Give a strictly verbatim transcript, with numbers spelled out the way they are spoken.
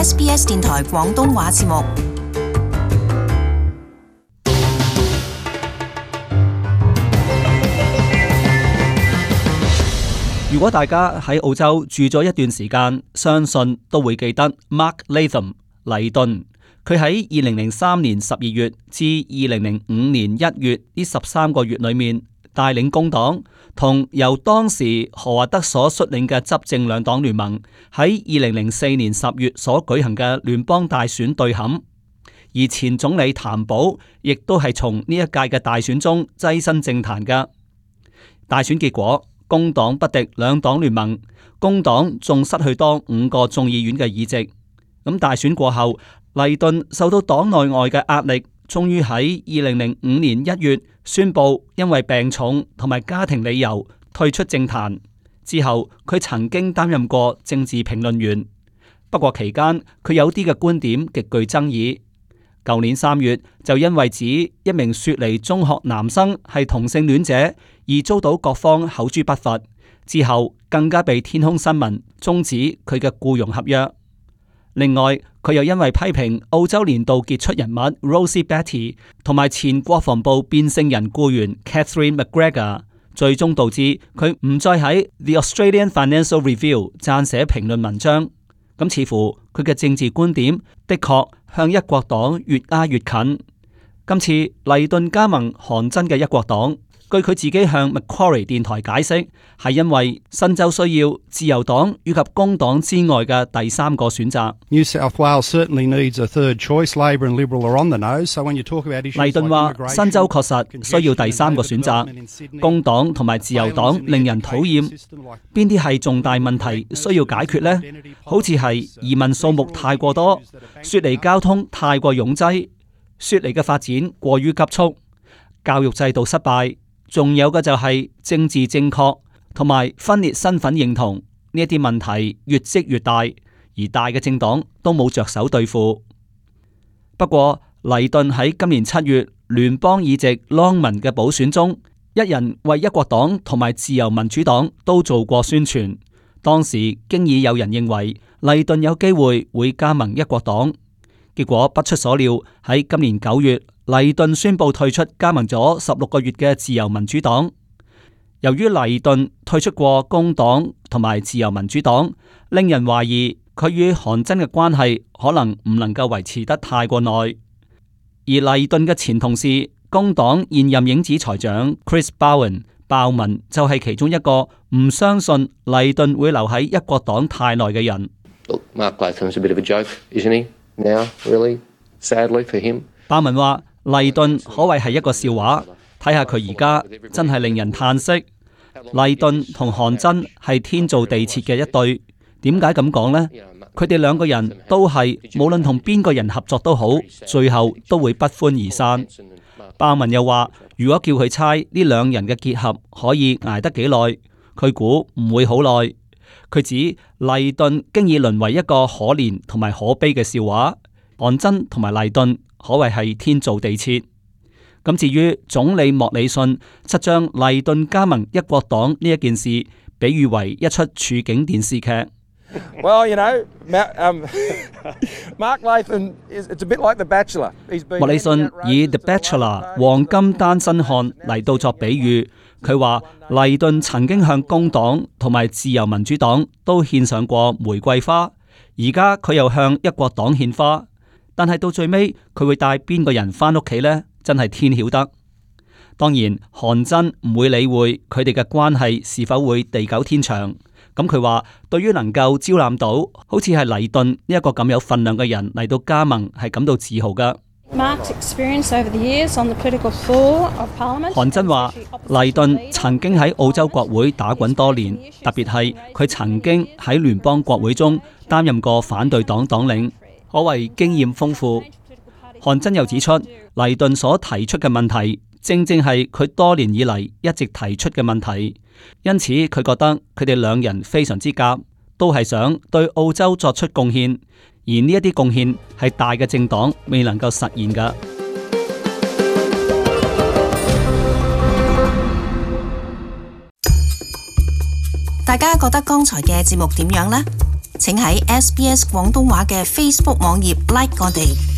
S B S 電台廣東話節目。如果大家喺澳洲住咗一段時間，相信都會記得 Mark Latham 黎頓。佢喺二零零三年十二月至二零零五年一月呢十三個月裏面，帶領工黨同由當時何華德所率領嘅執政兩黨聯盟喺二零零四年十月所舉行嘅聯邦大選對撼。而前總理譚寶亦都係從呢一屆嘅大選中躋身政壇嘅。大選結果，工黨不敵兩黨聯盟，工黨仲失去多五個眾議院嘅議席。咁大選過後，黎頓受到黨內外嘅壓力，終於喺二零零五年一月宣布因為病重同埋家庭理由退出政壇。之後佢曾經擔任過政治評論員，不過期間佢有啲嘅觀點極具爭議。舊年三月就因為指一名雪梨中學男生係同性戀者而遭到各方口誅筆伐，之後更加被天空新聞終止佢嘅僱傭合約。另外，佢又因為批評澳洲年度傑出人物 Rosie Batty 同埋前國防部變性人僱員 Catherine McGregor， 最終導致佢唔再喺 The Australian Financial Review 撰寫評論文章。咁似乎佢嘅政治觀點的確向一國黨越挨越近。今次黎頓加盟韓真嘅一國黨，據佢自己向 Macquarie 電台解釋，係因為新州需要自由黨以及工黨之外嘅第三個選擇。New South Wales certainly needs a third choice. Labor and Liberal are on the nose. So when you talk about issues like 黎頓話，新州確實需要第三個選擇。工黨同埋自由黨令人討厭，邊啲係重大問題需要解決呢？好似係移民數目太過多，雪梨交通太過擁擠，雪梨嘅發展過於急促，教育制度失敗。仲有嘅就係政治正確同埋分裂身份認同呢一啲問題越積越大，而大嘅政黨都冇着手對付。不過黎頓喺今年七月聯邦議席 Longman 嘅補選中，一人為一國黨同埋自由民主黨都做過宣傳。當時經已有人認為黎頓有機會會加盟一國黨，結果不出所料，喺今年九月，黎頓宣布退出加盟咗十六個月嘅自由民主黨。由於黎頓退出過工黨同埋自由民主黨，令人懷疑佢與韓真嘅關係可能唔能夠維持得太過耐。而黎頓嘅前同事工黨現任影子財長 Chris Bowen 鮑文就係其中一個唔相信黎頓會留喺一國黨太耐嘅人。Mark Latham's a bit of a joke, isn't he? Now, really, sadly for him. 鮑文話黎頓可謂係一個笑話，睇下佢而家真係令人嘆息。黎頓同韓真係天造地設嘅一對，點解咁講呢？佢哋兩個人都係無論同邊個人合作都好，最後都會不歡而散。鮑文又話，如果叫佢猜呢兩人嘅結合可以捱得幾耐，佢估唔會好耐。佢指黎頓經已淪為一個可憐同埋可悲嘅笑話，韓真同埋黎頓可謂係天造地設。咁至於總理莫里遜則將黎頓加盟一國黨呢一件事比喻為一出處境電視劇。Well, you know, um, Mark Latham is it's a bit like The Bachelor. 莫里遜以 The Bachelor 黃金單身漢嚟到作比喻，佢話黎頓曾經向工黨同埋自由民主黨都獻上過玫瑰花，而家佢又向一國黨獻花。但係到最尾佢會帶邊個人返屋企呢？真係天曉得。當然韓真唔會理會佢哋嘅關係是否會地久天長。咁佢話對於能夠招攬到好似係黎頓呢一個咁有份量嘅人嚟到加盟係感到自豪噶。韓真話黎頓曾經喺澳洲國會打滾多年，特別係佢曾經喺聯邦國會中擔任過反對黨黨領，可謂經驗豐富。韓真又指出，黎頓所提出嘅問題，正正係佢多年以嚟一直提出嘅問題，因此佢覺得佢哋兩人非常之夾，都係想對澳洲作出貢獻，而呢一啲貢獻係大嘅政黨未能夠實現㗎。大家覺得剛才嘅節目點樣呢？請喺 S B S 廣東話嘅 Facebook 網頁 like 我哋。